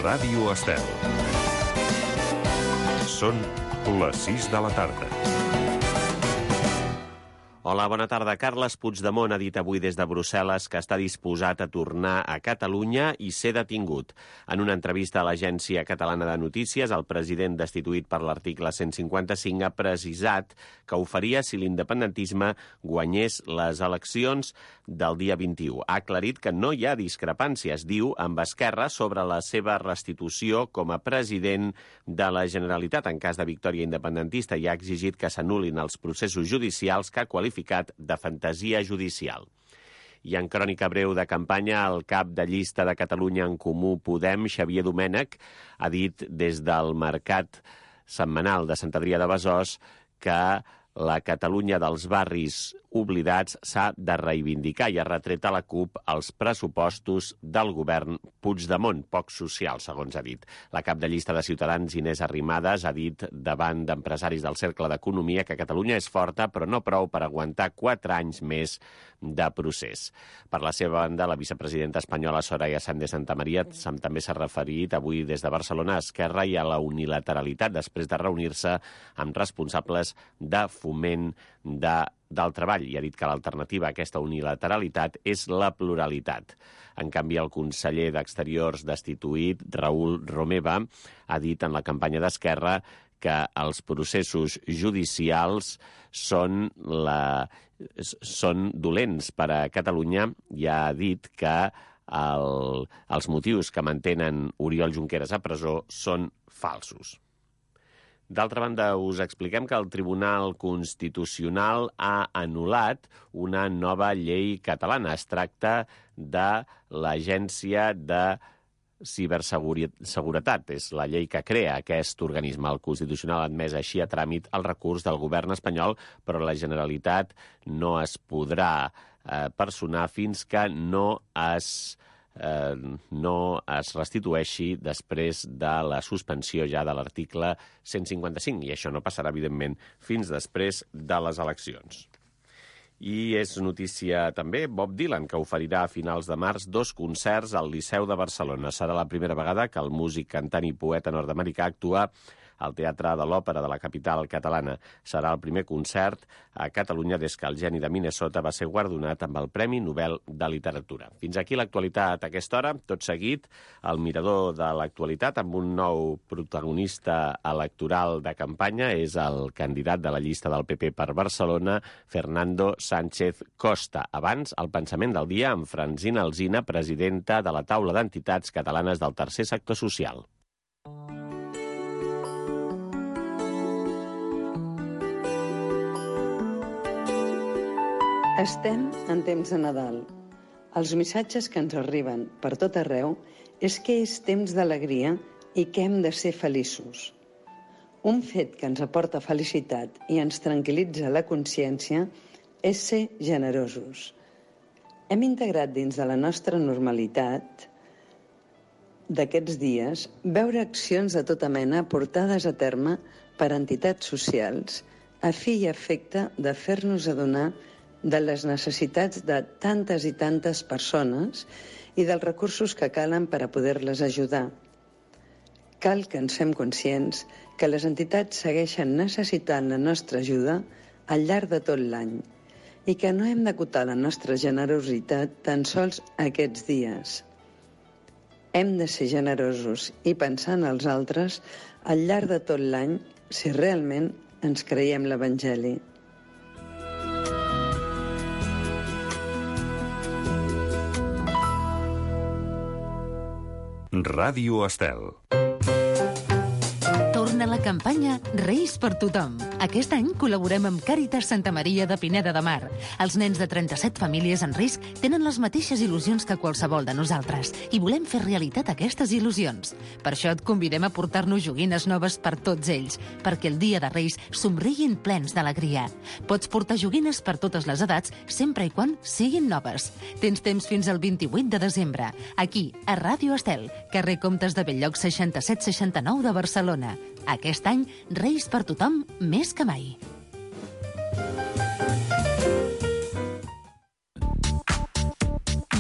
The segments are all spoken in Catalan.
Ràdio Estel. Són les 6 de la tarda. Hola, bona tarda. Carles Puigdemont ha dit avui des de Brussel·les que està disposat a tornar a Catalunya i ser detingut. En una entrevista a l'Agència Catalana de Notícies, el president destituït per l'article 155 ha precisat que ho faria si l'independentisme guanyés les eleccions del dia 21. Ha aclarit que no hi ha discrepàncies, diu, amb Esquerra sobre la seva restitució com a president de la Generalitat en cas de victòria independentista i ha exigit que s'anul·lin els processos judicials que ha qualificat de fantasia judicial. I en crònica breu de campanya, el cap de llista de Catalunya en Comú Podem, Xavier Domènech, ha dit des del mercat setmanal de Sant Adrià de Besòs que la Catalunya dels barris oblidats s'ha de reivindicar i ha retret a la CUP els pressupostos del govern Puigdemont, poc social, segons ha dit. La cap de llista de Ciutadans, Inés Arrimadas, ha dit davant d'empresaris del Cercle d'Economia que Catalunya és forta, però no prou per aguantar 4 anys més de procés. Per la seva banda, la vicepresidenta espanyola Soraya Sáenz de Santamaría també s'ha referit avui des de Barcelona a Esquerra i a la unilateralitat després de reunir-se amb responsables de Foment del Treball i ha dit que l'alternativa a aquesta unilateralitat és la pluralitat. En canvi, el conseller d'Exteriors destituït, Raül Romeva, ha dit en la campanya d'Esquerra que els processos judicials són dolents per a Catalunya i ha dit que els motius que mantenen Oriol Junqueras a presó són falsos. D'altra banda, us expliquem que el Tribunal Constitucional ha anul·lat una nova llei catalana. Es tracta de l'Agència de Ciberseguretat. És la llei que crea aquest organisme. El Constitucional ha admès així a tràmit el recurs del govern espanyol, però la Generalitat no es podrà personar fins que no es restitueixi després de la suspensió ja de l'article 155, i això no passarà, evidentment, fins després de les eleccions. I és notícia també Bob Dylan, que oferirà a finals de març 2 concerts al Liceu de Barcelona. Serà la primera vegada que el músic, cantant i poeta nord-americà actua al Teatre de l'Òpera de la capital catalana. Serà el primer concert a Catalunya des que el geni de Minnesota va ser guardonat amb el Premi Nobel de Literatura. Fins aquí l'actualitat a aquesta hora. Tot seguit, el mirador de l'actualitat amb un nou protagonista electoral de campanya. És el candidat de la llista del PP per Barcelona, Fernando Sánchez Costa. Abans, el pensament del dia amb Francina Alsina, presidenta de la Taula d'Entitats Catalanes del Tercer Sector Social. Estem en temps de Nadal. Els missatges que ens arriben per tot arreu és que és temps d'alegria i que hem de ser feliços. Un fet que ens aporta felicitat i ens tranquil·litza la consciència és ser generosos. Hem integrat dins de la nostra normalitat d'aquests dies veure accions de tota mena portades a terme per entitats socials a fi i efecte de fer-nos adonar de les necessitats de tantes i tantes persones i dels recursos que calen per a poder-les ajudar. Cal que ens fem conscients que les entitats segueixen necessitant la nostra ajuda al llarg de tot l'any i que no hem d'acotar la nostra generositat tan sols aquests dies. Hem de ser generosos i pensar en els altres al llarg de tot l'any si realment ens creiem l'Evangeli. Ràdio Estel. Torna la campanya Reis per tothom. Aquest any col·laborem amb Càritas Santa Maria de Pineda de Mar. Els nens de 37 famílies en risc tenen les mateixes il·lusions que qualsevol de nosaltres i volem fer realitat aquestes il·lusions. Per això et convidem a portar-nos joguines noves per tots ells, perquè el dia de Reis somriguin plens d'alegria. Pots portar joguines per totes les edats, sempre i quan siguin noves. Tens temps fins al 28 de desembre, aquí, a Ràdio Estel, carrer Comtes de Belllloc 6769 de Barcelona. Aquest any, Reis per tothom més que mai.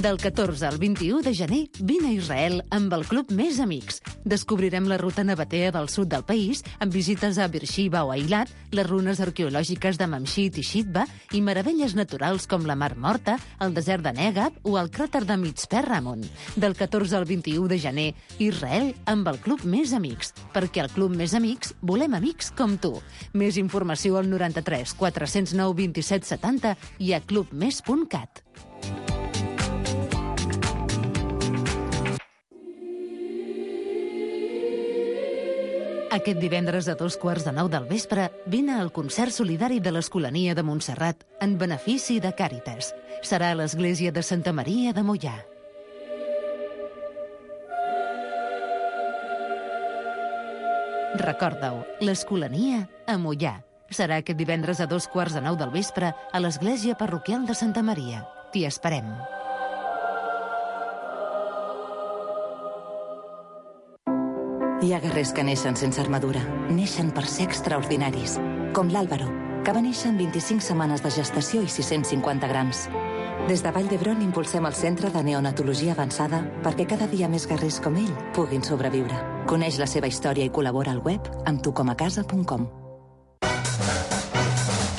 Del 14 al 21 de gener, vine a Israel amb el Club Més Amics. Descobrirem la ruta nabatea del sud del país, amb visites a Beersheba o Eilat, les runes arqueològiques de Mamshit i Shitba i meravelles naturals com la Mar Morta, el desert de Negab o el cràter de Mitzpe Ramon. Del 14 al 21 de gener, Israel amb el Club Més Amics. Perquè al Club Més Amics volem amics com tu. Més informació al 93 409 27 70 i a clubmes.cat. Aquest divendres a 2:15 del vespre vine al concert solidari de l'Escolania de Montserrat en benefici de Càritas. Serà a l'església de Santa Maria de Moià. Recorda-ho, l'Escolania a Moià. Serà aquest divendres a 2:15 del vespre a l'església parroquial de Santa Maria. T'hi esperem. Hi ha guerrers que neixen sense armadura. Neixen per ser extraordinaris. Com l'Àlvaro, que va néixer en 25 setmanes de gestació i 650 grams. Des de Vall d'Hebron impulsem el Centre de Neonatologia Avançada perquè cada dia més guerrers com ell puguin sobreviure. Coneix la seva història i col·labora al web amb tucomacasa.com.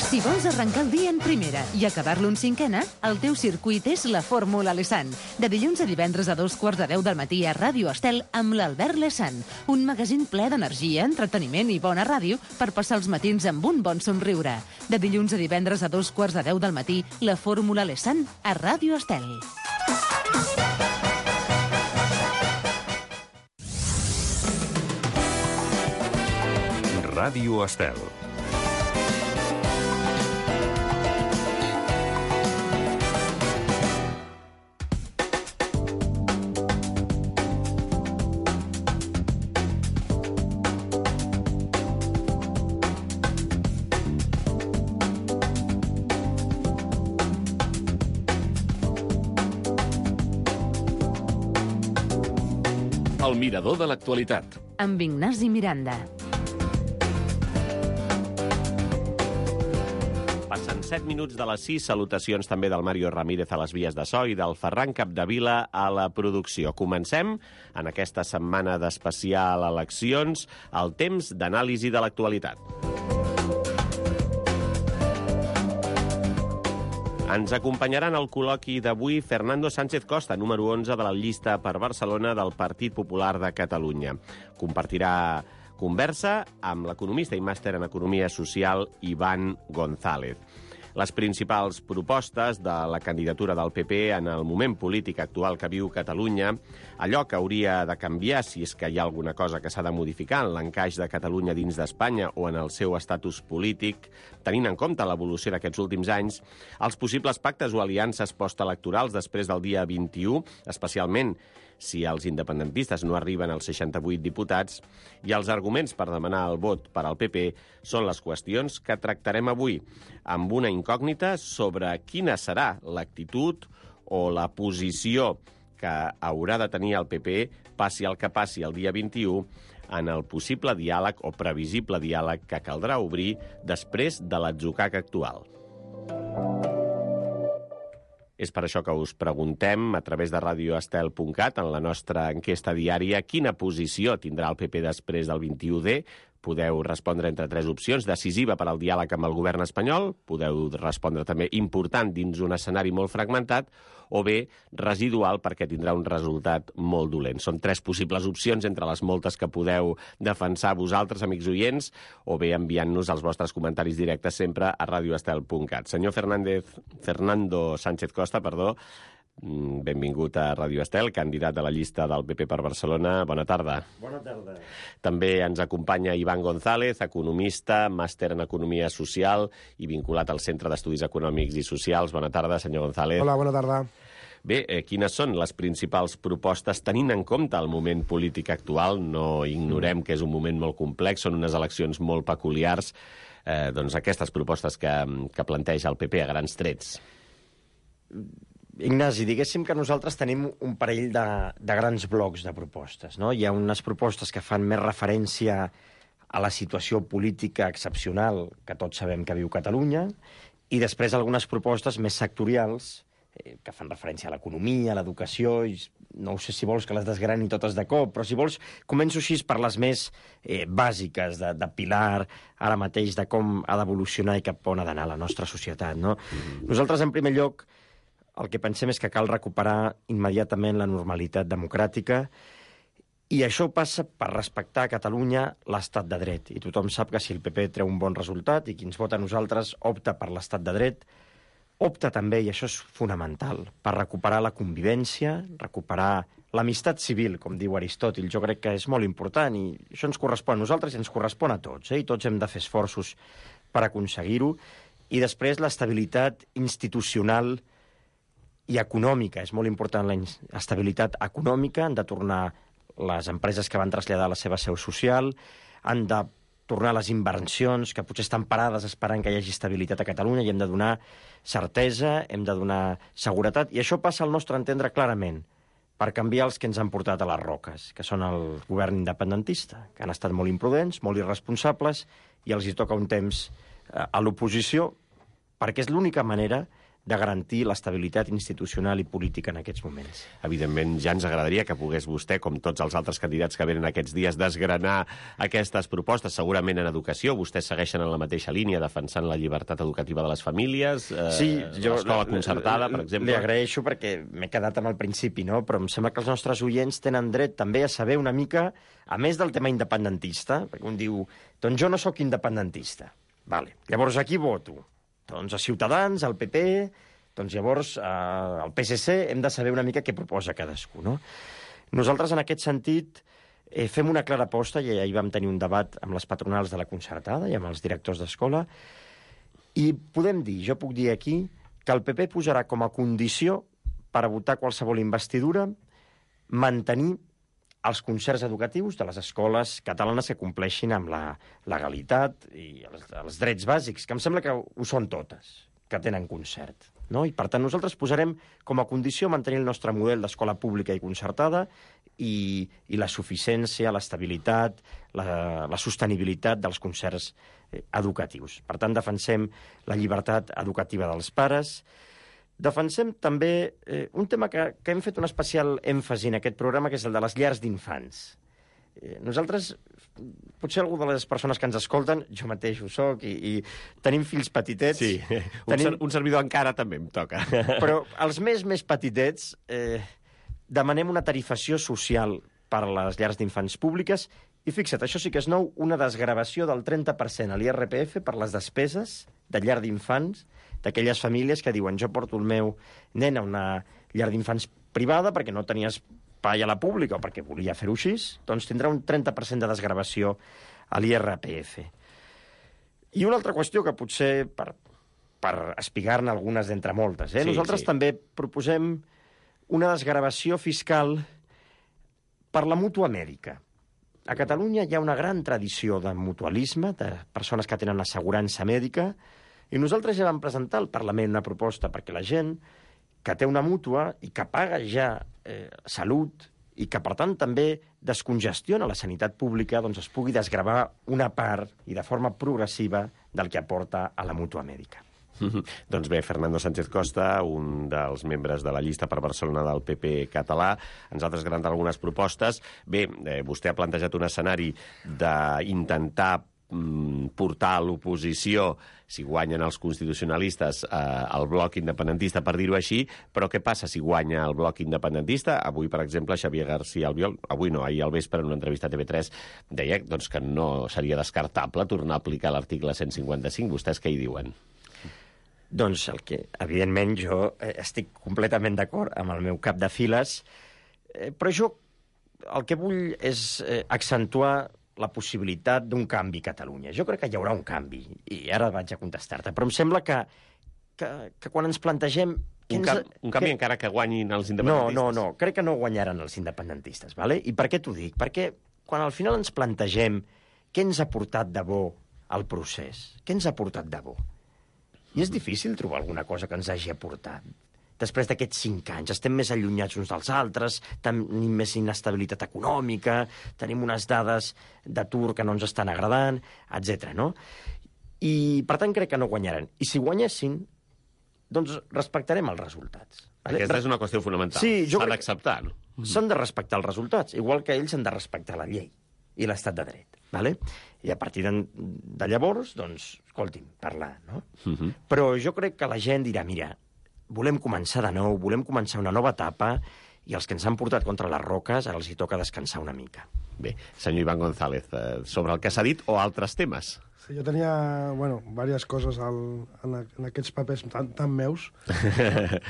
Si vols arrencar el dia en primera i acabar-lo en cinquena, el teu circuit és la Fórmula Lesan. De dilluns a divendres a 2:15 del matí a Ràdio Estel amb l'Albert Lesan. Un magazín ple d'energia, entreteniment i bona ràdio per passar els matins amb un bon somriure. De dilluns a divendres a 2:15 del matí, la Fórmula Lesan a Ràdio Estel. Ràdio Estel. El mirador de l'actualitat. Amb Ignasi Miranda. Passen 7 minuts de les 6. Salutacions també del Mario Ramírez a les vies de so i del Ferran Capdevila a la producció. Comencem en aquesta setmana d'especial eleccions el temps d'anàlisi de l'actualitat. Ens acompanyaran al col·loqui d'avui Fernando Sánchez Costa, número 11 de la llista per Barcelona del Partit Popular de Catalunya. Compartirà conversa amb l'economista i màster en Economia Social Iván González. Les principals propostes de la candidatura del PP en el moment polític actual que viu Catalunya, allò que hauria de canviar si és que hi ha alguna cosa que s'ha de modificar en l'encaix de Catalunya dins d'Espanya o en el seu estatus polític, tenint en compte l'evolució d'aquests últims anys, els possibles pactes o aliances postelectorals després del dia 21, especialment si els independentistes no arriben als 68 diputats, i els arguments per demanar el vot per al PP són les qüestions que tractarem avui, amb una incògnita sobre quina serà l'actitud o la posició que haurà de tenir el PP, passi el que passi el dia 21, en el possible diàleg o previsible diàleg que caldrà obrir després de l'atzucac actual. És per això que us preguntem a través de radioestel.cat en la nostra enquesta diària quina posició tindrà el PP després del 21D. Podeu respondre entre 3 opcions: decisiva per al diàleg amb el govern espanyol, podeu respondre també important dins un escenari molt fragmentat, o bé residual perquè tindrà un resultat molt dolent. Són 3 possibles opcions entre les moltes que podeu defensar vosaltres, amics oients, o bé enviant-nos els vostres comentaris directes sempre a radioestel.cat. Senyor Fernando Sánchez Costa, benvingut a Ràdio Estel, candidat de la llista del PP per Barcelona. Bona tarda. Bona tarda. També ens acompanya Iván González, economista, màster en Economia Social i vinculat al Centre d'Estudis Econòmics i Socials. Bona tarda, senyor González. Hola, bona tarda. Bé, quines són les principals propostes, tenint en compte el moment polític actual? No ignorem que és un moment molt complex, són unes eleccions molt peculiars, doncs aquestes propostes que planteja el PP a grans trets. Ignasi, diguéssim que nosaltres tenim un parell de grans blocs de propostes, no? Hi ha unes propostes que fan més referència a la situació política excepcional que tots sabem que viu Catalunya, i després algunes propostes més sectorials que fan referència a l'economia, a l'educació, i no sé si vols que les desgrani totes de cop, però si vols començo així per les més bàsiques, de pilar ara mateix de com ha d'evolucionar i cap on ha d'anar la nostra societat, no? Nosaltres, en primer lloc, el que pensem és que cal recuperar immediatament la normalitat democràtica, i això passa per respectar a Catalunya l'estat de dret. I tothom sap que si el PP treu un bon resultat i qui ens vota a nosaltres opta per l'estat de dret, opta també, i això és fonamental, per recuperar la convivència, recuperar l'amistat civil, com diu Aristòtil. Jo crec que és molt important i això ens correspon a nosaltres i ens correspon a tots, i tots hem de fer esforços per aconseguir-ho. I després l'estabilitat institucional i econòmica. És molt important l'estabilitat econòmica. Han de tornar les empreses que van traslladar la seva seu social, han de tornar les inversions, que potser estan parades esperant que hi hagi estabilitat a Catalunya, i hem de donar certesa, hem de donar seguretat, i això passa al nostre entendre clarament per canviar els que ens han portat a les roques, que són el govern independentista, que han estat molt imprudents, molt irresponsables, i els hi toca un temps a l'oposició, perquè és l'única manera de garantir l'estabilitat institucional i política en aquests moments. Evidentment, ja ens agradaria que pogués vostè, com tots els altres candidats que venen aquests dies, desgranar aquestes propostes. Segurament en educació vostès segueixen en la mateixa línia, defensant la llibertat educativa de les famílies, l'escola concertada, per exemple. Li agraeixo perquè m'he quedat amb el principi, no? Però em sembla que els nostres oients tenen dret també a saber una mica, a més del tema independentista, perquè un diu, doncs jo no sóc independentista. Vale. Llavors, a qui voto? Doncs a Ciutadans, al PP, doncs llavors al PSC hem de saber una mica què proposa cadascú, no? Nosaltres, en aquest sentit, fem una clara aposta, i ahir vam tenir un debat amb les patronals de la concertada i amb els directors d'escola, i podem dir, jo puc dir aquí, que el PP posarà com a condició per a votar qualsevol investidura mantenir els concerts educatius de les escoles catalanes que compleixin amb la legalitat i els drets bàsics, que em sembla que ho són totes, que tenen concert, no? I, per tant, nosaltres posarem com a condició mantenir el nostre model d'escola pública i concertada i la suficiència, l'estabilitat, la sostenibilitat dels concerts educatius. Per tant, defensem la llibertat educativa dels pares. Defensem també un tema que hem fet un especial èmfasi en aquest programa, que és el de les llars d'infants. Nosaltres, potser algú de les persones que ens escolten, jo mateix ho soc, i tenim fills petitets. Sí, un servidor encara també em toca. Però els més petitets demanem una tarifació social per a les llars d'infants públiques, i fixa't, això sí que és nou, una desgravació del 30% a l'IRPF per les despeses de llar d'infants d'aquelles famílies que diuen jo porto el meu nen a una llar d'infants privada perquè no tenia espai a la pública o perquè volia fer-ho així, doncs tindrà un 30% de desgravació a l'IRPF. I una altra qüestió que potser per espigar-ne algunes d'entre moltes. Nosaltres també proposem una desgravació fiscal per la mútua mèdica. A Catalunya hi ha una gran tradició de mutualisme, de persones que tenen assegurança mèdica, i nosaltres ja vam presentar al Parlament una proposta perquè la gent que té una mútua i que paga ja salut i que, per tant, també descongestiona la sanitat pública, doncs es pugui desgravar una part i de forma progressiva del que aporta a la mútua mèdica. Doncs bé, Fernando Sánchez Costa, un dels membres de la llista per Barcelona del PP català, ens ha desgranat algunes propostes. Bé, vostè ha plantejat un escenari d'intentar portar a l'oposició, si guanyen els constitucionalistes, el bloc independentista, per dir-ho així, però què passa si guanya el bloc independentista? Avui, per exemple, Xavier García Albiol, ahir al vespre, en una entrevista a TV3, deia doncs, que no seria descartable tornar a aplicar l'article 155. Vostès què hi diuen? Doncs evidentment, jo estic completament d'acord amb el meu cap de files, però jo el que vull és accentuar la possibilitat d'un canvi a Catalunya. Jo crec que hi haurà un canvi, i ara vaig a contestar-te, però em sembla que quan ens plantegem... Un canvi encara que guanyin els independentistes? No, crec que no guanyaran els independentistes, ¿vale? I per què t'ho dic? Perquè quan al final ens plantegem què ens ha portat de bo al procés, què ens ha portat de bo, i és difícil trobar alguna cosa que ens hagi aportat. Després d'aquests 5 anys estem més allunyats uns dels altres, tenim més inestabilitat econòmica, tenim unes dades d'atur que no ens estan agradant, etc. no? I, per tant, crec que no guanyaran. I si guanyessin, doncs respectarem els resultats. Aquesta és una qüestió fonamental. Sí, s'ha d'acceptar, no? S'han de respectar els resultats, igual que ells han de respectar la llei i l'estat de dret. Vale? I a partir de llavors, doncs, escolti'm, parlar, no? Però jo crec que la gent dirà, mira, volem començar de nou, volem començar una nova etapa, i els que ens han portat contra les roques ara els hi toca descansar una mica. Bé, senyor Iván González, sobre el que s'ha dit o altres temes? Sí, jo tenia, diverses coses en aquests papers tan meus.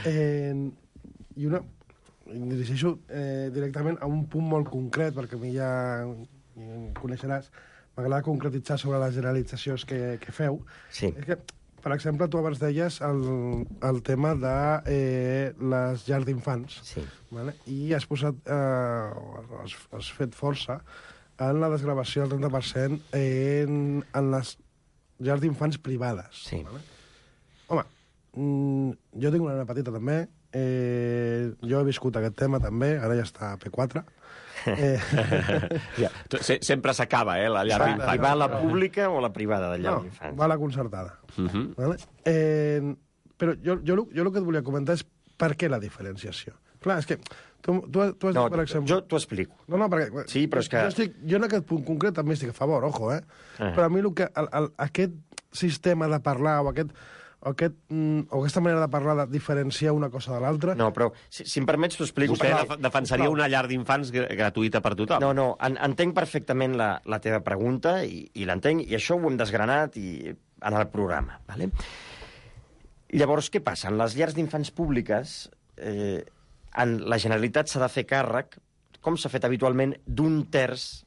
I una... Em dirigeixo directament a un punt molt concret, perquè a mi ja em coneixeràs. M'agrada concretitzar sobre les generalitzacions que feu. Sí. És que, per exemple, tu abans deies el tema de les llars d'infants. Sí. Vale? I has posat, has fet força en la desgravació del 30% en les llars d'infants privades. Sí. Vale? Home, jo tinc una nena petita també, jo he viscut aquest tema també, ara ja està a P4. Sempre s'acaba, la llar d'infants. I va a la pública o a la privada de llar d'infants? Va a la concertada. Vale? Però jo el que et volia comentar és per què la diferenciació. Clar, és que tu has dit, per exemple... Jo t'ho explico. No, perquè... Sí, però és que... Jo en aquest punt concret també estic a favor, ojo, Però a mi aquest sistema de parlar o aquesta manera de parlar de diferenciar una cosa de l'altra... No, però si em permets t'ho explico. Vostè defensaria una llar d'infants gratuïta per tothom? No, entenc perfectament la teva pregunta i l'entenc, i això ho hem desgranat en el programa. Vale? Llavors, què passa? En les llars d'infants públiques, la Generalitat s'ha de fer càrrec, com s'ha fet habitualment, d'un terç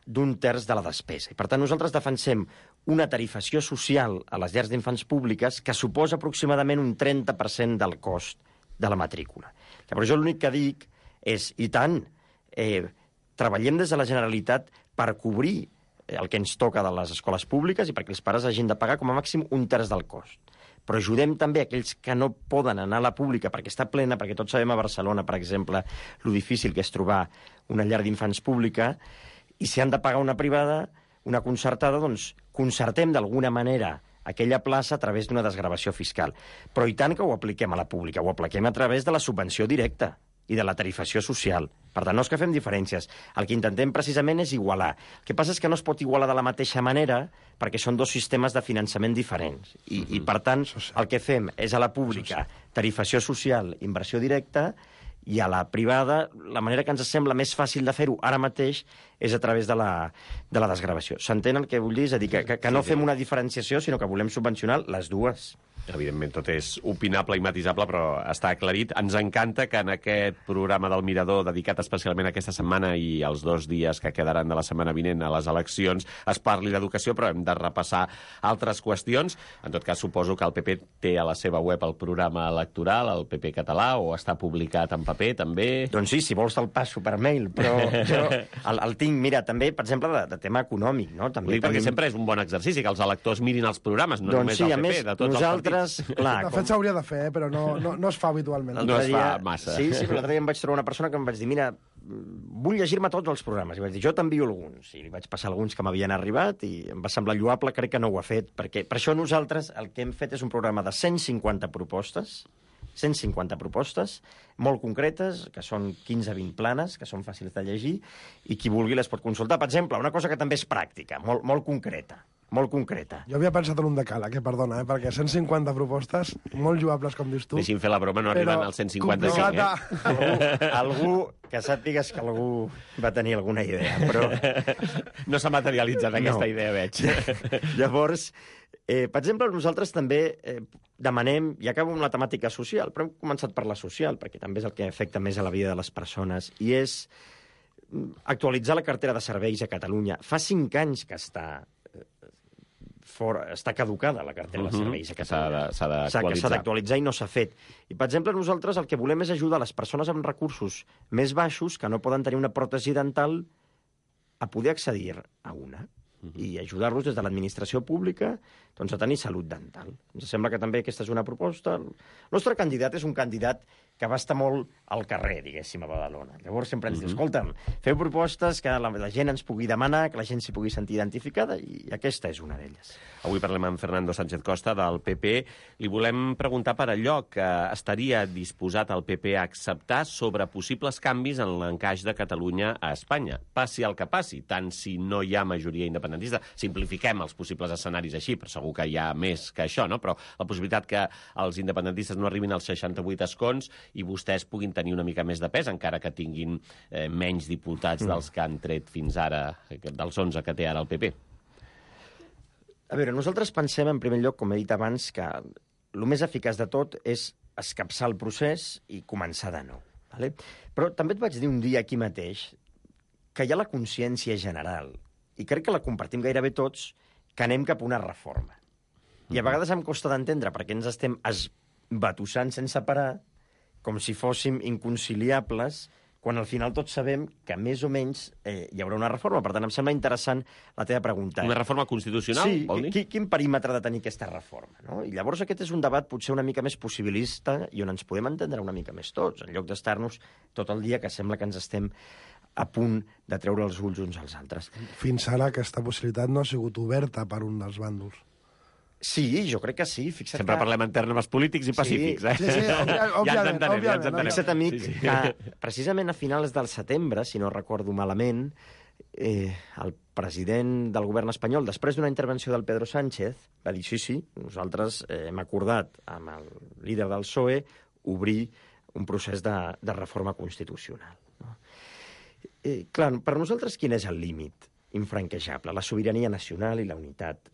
de la despesa. I, per tant, nosaltres defensem una tarifació social a les llars d'infants públiques que suposa aproximadament un 30% del cost de la matrícula. Llavors, jo l'únic que dic és, i tant, treballem des de la Generalitat per cobrir el que ens toca de les escoles públiques i perquè els pares hagin de pagar com a màxim un terç del cost. Però ajudem també aquells que no poden anar a la pública perquè està plena, perquè tots sabem a Barcelona, per exemple, lo difícil que és trobar una llar d'infants pública, i si han de pagar una privada, una concertada, doncs concertem d'alguna manera aquella plaça a través d'una desgravació fiscal. Però i tant que ho apliquem a la pública, ho apliquem a través de la subvenció directa i de la tarifació social. Per tant, no és que fem diferències. El que intentem precisament és igualar. El que passa és que no es pot igualar de la mateixa manera perquè són dos sistemes de finançament diferents. I per tant, el que fem és a la pública tarifació social, inversió directa, i a la privada, la manera que ens sembla més fàcil de fer-ho ara mateix és a través de la desgravació. S'entén el que vull dir? És a dir, que no fem una diferenciació, sinó que volem subvencionar les dues. Evidentment, tot és opinable i matisable, però està aclarit. Ens encanta que en aquest programa del Mirador, dedicat especialment aquesta setmana i els 2 dies que quedaran de la setmana vinent a les eleccions, es parli d'educació, però hem de repassar altres qüestions. En tot cas, suposo que el PP té a la seva web el programa electoral, el PP català, o està publicat en paper, també? Doncs sí, si vols te'l passo per mail, però jo el tinc, mira, també, per exemple, de tema econòmic, no? També perquè sempre és un bon exercici que els electors mirin els programes, no només del PP, de tots els partits. Clar, de fet s'hauria de fer, però no es fa habitualment. No es fa massa. Sí, però l'altre dia em vaig trobar una persona que em vaig dir, mira, vull llegir-me tots els programes. I vaig dir, jo t'envio alguns. I li vaig passar alguns que m'havien arribat i em va semblar lloable, crec que no ho ha fet, perquè per això nosaltres el que hem fet és un programa de 150 propostes, molt concretes, que són 15-20 planes, que són fàcils de llegir, i qui vulgui les pot consultar. Per exemple, una cosa que també és pràctica, molt concreta. Jo havia pensat en un decàleg, perdona, perquè 150 propostes, molt lloables, com dius tu. Deixi'm fer la broma, no arriben als 155, Algú que sàpigues que algú va tenir alguna idea, però... No s'ha materialitzat aquesta idea, veig. Llavors, per exemple, nosaltres també demanem, i acabo amb la temàtica social, però hem començat per la social, perquè també és el que afecta més a la vida de les persones, i és actualitzar la cartera de serveis a Catalunya. Fa 5 anys que està caducada la cartera de serveis a Catalunya. S'ha d'actualitzar i no s'ha fet. I, per exemple, nosaltres el que volem és ajudar les persones amb recursos més baixos que no poden tenir una pròtesi dental a poder accedir a una i ajudar-los des de l'administració pública a tenir salut dental. Ens sembla que també aquesta és una proposta. El nostre candidat és un candidat que va estar molt al carrer, diguéssim, a Badalona. Llavors sempre ens diu, escolta'm, feu propostes que la gent ens pugui demanar, que la gent s'hi pugui sentir identificada, i aquesta és una d'elles. Avui parlem amb Fernando Sánchez Costa, del PP. Li volem preguntar per allò que estaria disposat el PP a acceptar sobre possibles canvis en l'encaix de Catalunya a Espanya. Passi el que passi, tant si no hi ha majoria independentista. Simplifiquem els possibles escenaris així, però segur que hi ha més que això, no? Però la possibilitat que els independentistes no arribin als 68 escons i vostès puguin tenir una mica més de pes, encara que tinguin menys diputats dels que han tret fins ara, dels 11 que té ara el PP. A veure, nosaltres pensem, en primer lloc, com he dit abans, que el més eficaç de tot és escapçar el procés i començar de nou. Vale? Però també et vaig dir un dia aquí mateix que hi ha la consciència general, i crec que la compartim gairebé tots, que anem cap a una reforma. I a vegades em costa d'entendre perquè ens estem esbatussant sense parar, com si fóssim inconciliables, quan al final tots sabem que més o menys hi haurà una reforma. Per tant, em sembla interessant la teva pregunta. Una reforma constitucional, vol dir? Sí, quin perímetre ha de tenir aquesta reforma? No? I llavors aquest és un debat potser una mica més possibilista i on ens podem entendre una mica més tots, en lloc d'estar-nos tot el dia que sembla que ens estem a punt de treure els ulls uns als altres. Fins ara aquesta possibilitat no ha sigut oberta per un dels bàndols. Sí, jo crec que sí. Fixa't Sempre parlem en termes polítics i pacífics, eh? Sí, òbviament. Fixa't, amic, que precisament a finals del setembre, si no recordo malament, el president del govern espanyol, després d'una intervenció del Pedro Sánchez, va dir, sí, nosaltres hem acordat amb el líder del PSOE obrir un procés de reforma constitucional. No? Clar, per nosaltres quin és el límit infranquejable? La sobirania nacional i la unitat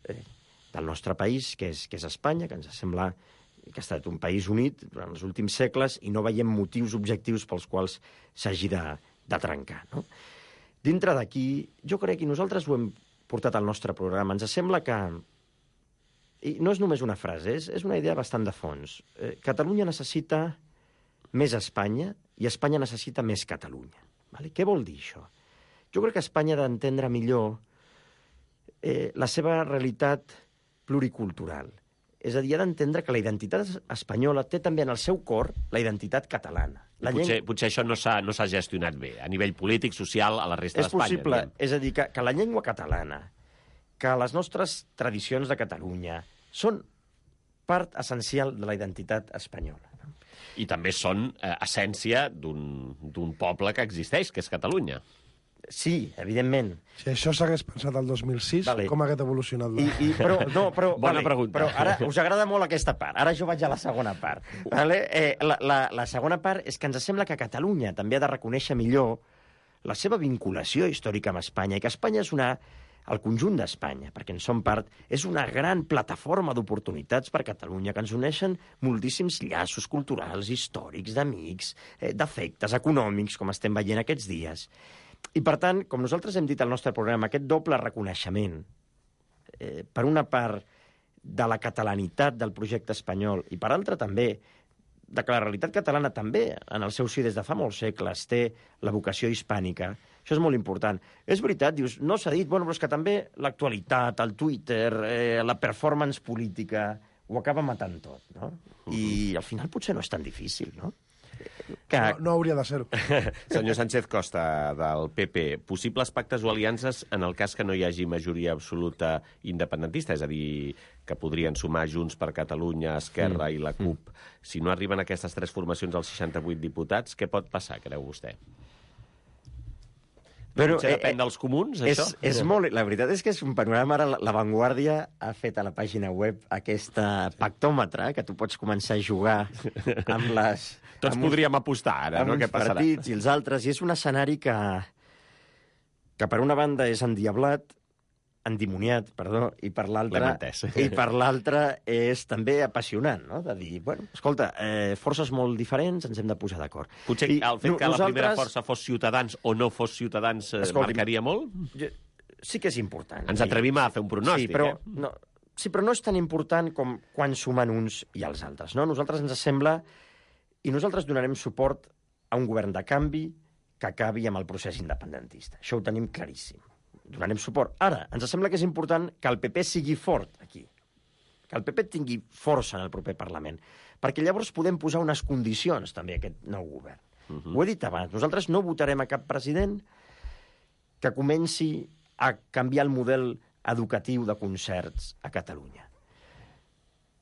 del nostre país, que és Espanya, que ens sembla que ha estat un país unit durant els últims segles i no veiem motius objectius pels quals s'hagi de trencar. No? Dintre d'aquí, jo crec que nosaltres ho hem portat al nostre programa. Ens sembla que, i no és només una frase, és una idea bastant de fons, Catalunya necessita més Espanya i Espanya necessita més Catalunya. Vale? Què vol dir això? Jo crec que Espanya ha d'entendre millor la seva realitat pluricultural. És a dir, ha d'entendre que la identitat espanyola té també en el seu cor la identitat catalana. Potser això no s'ha gestionat bé, a nivell polític, social, a la resta d'Espanya. És possible, és a dir, que la llengua catalana, que les nostres tradicions de Catalunya són part essencial de la identitat espanyola. I també són essència d'un poble que existeix, que és Catalunya. Sí, evidentment. Si això s'hagués pensat el 2006, com hagués evolucionat? Bona pregunta. Però ara us agrada molt aquesta part. Ara jo vaig a la segona part. Vale? La segona part és que ens sembla que Catalunya també ha de reconèixer millor la seva vinculació històrica amb Espanya i que Espanya és el conjunt d'Espanya, perquè en som part, és una gran plataforma d'oportunitats per Catalunya, que ens uneixen moltíssims llaços culturals, històrics, d'amics, d'afectes econòmics, com estem veient aquests dies. I, per tant, com nosaltres hem dit al nostre programa, aquest doble reconeixement, per una part de la catalanitat del projecte espanyol i, per altra, també de que la realitat catalana també, en el seu si des de fa molts segles, té la vocació hispànica. Això és molt important. És veritat, dius, no s'ha dit, però és que també l'actualitat, el Twitter, la performance política, ho acaba matant tot, no? I al final potser no és tan difícil, no? No hauria de ser-ho. Senyor Sánchez Costa, del PP, possibles pactes o aliances en el cas que no hi hagi majoria absoluta independentista, és a dir, que podrien sumar Junts per Catalunya, Esquerra i la CUP. Si no arriben aquestes tres formacions als 68 diputats, què pot passar, creu vostè? Però, potser depèn dels comuns, això? La veritat és que és un panorama. Ara La Vanguardia ha fet a la pàgina web aquesta pactòmetre, que tu pots començar a jugar amb les... Tots podríem apostar ara, no? Què passarà? Amb uns partits i els altres, i és un escenari que per una banda és endimoniat, i per l'altra és també apassionant, no? De dir, bueno, escolta, forces molt diferents, ens hem de posar d'acord. Potser el fet que la primera força fos Ciutadans o no fos Ciutadans marcaria molt? Sí que és important. Ens atrevim a fer un pronòstic, Sí, però no és tan important com quan sumen uns i els altres, no? Nosaltres ens sembla, i nosaltres donarem suport a un govern de canvi que acabi amb el procés independentista. Això ho tenim claríssim. Donarem suport. Ara, ens sembla que és important que el PP sigui fort aquí. que el PP tingui força en el proper Parlament, perquè llavors podem posar unes condicions també a aquest nou govern. Ho he dit abans, nosaltres no votarem a cap president que comenci a canviar el model educatiu de concerts a Catalunya.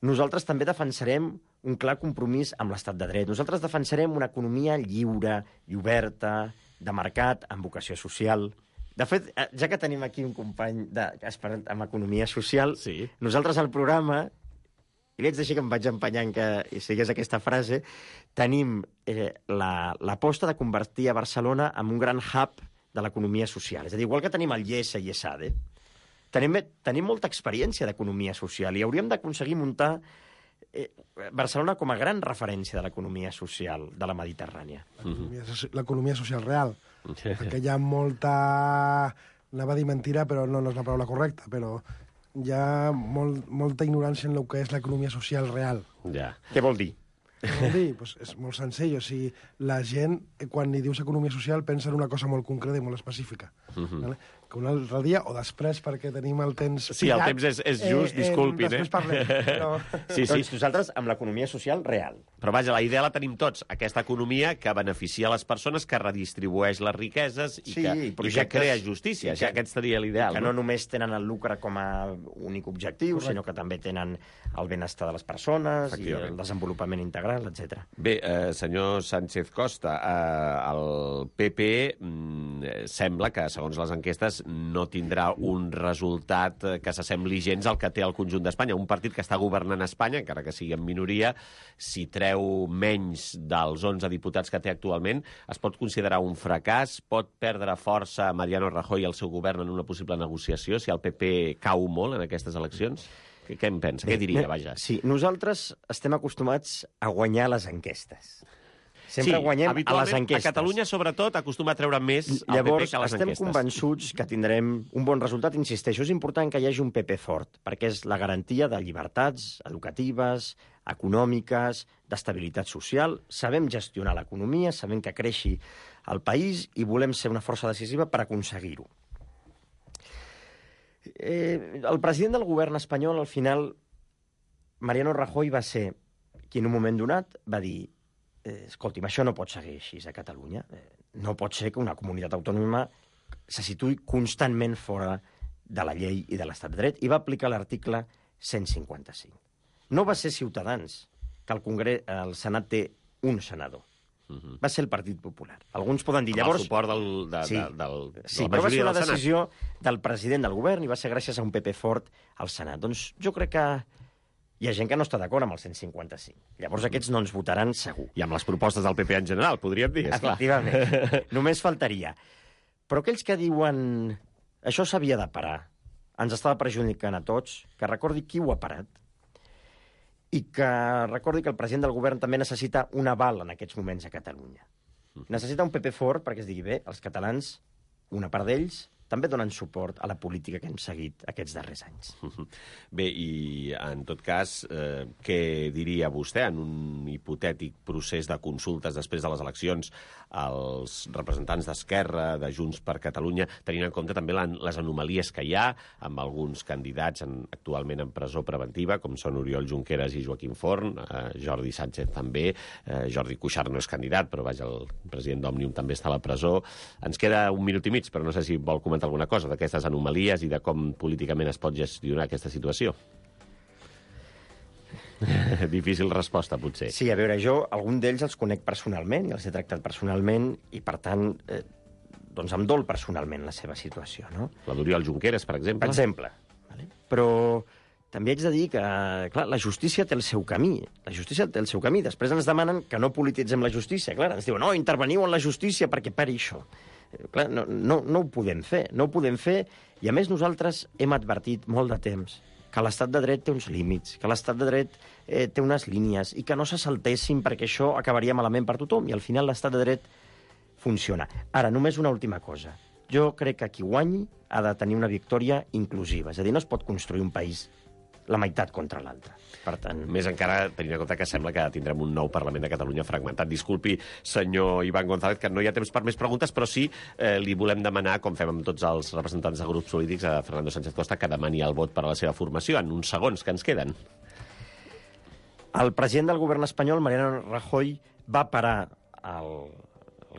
Nosaltres també defensarem un clar compromís amb l'estat de dret. Nosaltres defensarem una economia lliure i oberta, de mercat, amb vocació social. De fet, ja que tenim aquí un company esperant amb economia social, sí. Nosaltres al programa, i li haig de dir que em vaig empenyant que sigués aquesta frase, tenim l'aposta de convertir a Barcelona en un gran hub de l'economia social. És a dir, igual que tenim el IESA i ESADE, tenim molta experiència d'economia social i hauríem d'aconseguir muntar Barcelona com a gran referència de l'economia social de la Mediterrània. L'economia social real. Perquè hi ha molta... Anava a dir mentira, però no és la paraula correcta, però hi ha molta ignorància en el que és l'economia social real. Ja. Què vol dir? Què vol dir? Pues és molt senzill. O sigui, la gent, quan li dius economia social, pensa en una cosa molt concreta i molt específica. Vale? Que un altre dia, o després, perquè tenim el temps... Sí, el temps és just, disculpin. Després parlem. Però... Sí. Doncs nosaltres amb l'economia social real. Però vaja, la idea la tenim tots. Aquesta economia que beneficia les persones, que redistribueix les riqueses i que crea justícia. Aquest seria l'ideal. Que no només tenen el lucre com a únic objectiu, sinó que també tenen el benestar de les persones i el desenvolupament integral, etc. Bé, senyor Sánchez Costa, el PP sembla que, segons les enquestes, no tindrà un resultat que s'assembli gens al que té el conjunt d'Espanya. Un partit que està governant Espanya, encara que sigui en minoria, si treu menys dels 11 diputats que té actualment, es pot considerar un fracàs? Pot perdre força Mariano Rajoy i el seu govern en una possible negociació si el PP cau molt en aquestes eleccions? Què en pensa? Què diria, vaja? Sí, nosaltres estem acostumats a guanyar les enquestes. Sempre guanyem a les enquestes. A Catalunya, sobretot, acostuma a treure més el PP que a les enquestes. Llavors, estem convençuts que tindrem un bon resultat. Insisteixo, és important que hi hagi un PP fort, perquè és la garantia de llibertats educatives, econòmiques, d'estabilitat social. Sabem gestionar l'economia, sabem que creixi el país i volem ser una força decisiva per aconseguir-ho. El president del govern espanyol, al final, Mariano Rajoy, va ser qui en un moment donat va dir escolti'm, això no pot seguir així a Catalunya. No pot ser que una comunitat autònoma se situï constantment fora de la llei i de l'estat de dret, i va aplicar l'article 155. No va ser Ciutadans, que el Senat té un senador. Va ser el Partit Popular. Alguns poden dir, llavors... Amb el suport Sí, però va ser una decisió del president del govern i va ser gràcies a un PP fort al Senat. Doncs jo crec que hi ha gent que no està d'acord amb el 155. Llavors aquests no ens votaran segur. I amb les propostes del PP en general, podríem dir, esclar. Efectivament. Només faltaria. Però aquells que diuen això s'havia de parar, ens estava perjudicant a tots, que recordi qui ho ha parat i que recordi que el president del govern també necessita un aval en aquests moments a Catalunya. Necessita un PP fort perquè es digui bé, els catalans, una part d'ells, també donen suport a la política que hem seguit aquests darrers anys. Bé, i en tot cas, què diria vostè en un hipotètic procés de consultes després de les eleccions als representants d'Esquerra, de Junts per Catalunya, tenint en compte també les anomalies que hi ha amb alguns candidats actualment en presó preventiva, com són Oriol Junqueras i Joaquim Forn, Jordi Sánchez també, Jordi Cuixart no és candidat, però vaja, el president d'Òmnium també està a la presó. Ens queda un minut i mig, però no sé si vol comentar alguna cosa d'aquestes anomalies i de com políticament es pot gestionar aquesta situació. Difícil resposta, potser. Sí, a veure, jo algun d'ells els conec personalment i els he tractat personalment i, per tant, doncs em dol personalment la seva situació, no? La d'Oriol Junqueras, per exemple. Per exemple. Vale? Però també haig de dir que, clar, la justícia té el seu camí. La justícia té el seu camí. Després ens demanen que no polititzem la justícia. Clar, ens diuen, no, interveniu en la justícia perquè pari això. Clar, no ho podem fer, no ho podem fer, i a més nosaltres hem advertit molt de temps que l'estat de dret té uns límits, que l'estat de dret té unes línies, i que no se saltessin perquè això acabaria malament per tothom, i al final l'estat de dret funciona. Ara, només una última cosa. Jo crec que qui guanyi ha de tenir una victòria inclusiva, és a dir, no es pot construir un país la meitat contra l'altra. Per tant... Més encara, tenint en compte que sembla que tindrem un nou Parlament de Catalunya fragmentat. Disculpi, senyor Iván González, que no hi ha temps per més preguntes, però sí li volem demanar, com fem amb tots els representants de grups polítics, a Fernando Sánchez Costa, que demani el vot per a la seva formació en uns segons que ens queden. El president del govern espanyol, Mariano Rajoy, va parar el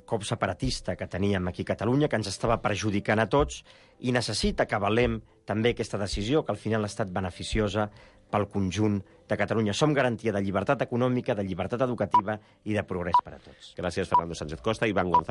cop separatista que teníem aquí a Catalunya, que ens estava perjudicant a tots, i necessita que avalem també aquesta decisió, que al final ha estat beneficiosa pel conjunt de Catalunya. Som garantia de llibertat econòmica, de llibertat educativa i de progrés per a tots. Gràcies, Fernando Sánchez Costa i Iván González.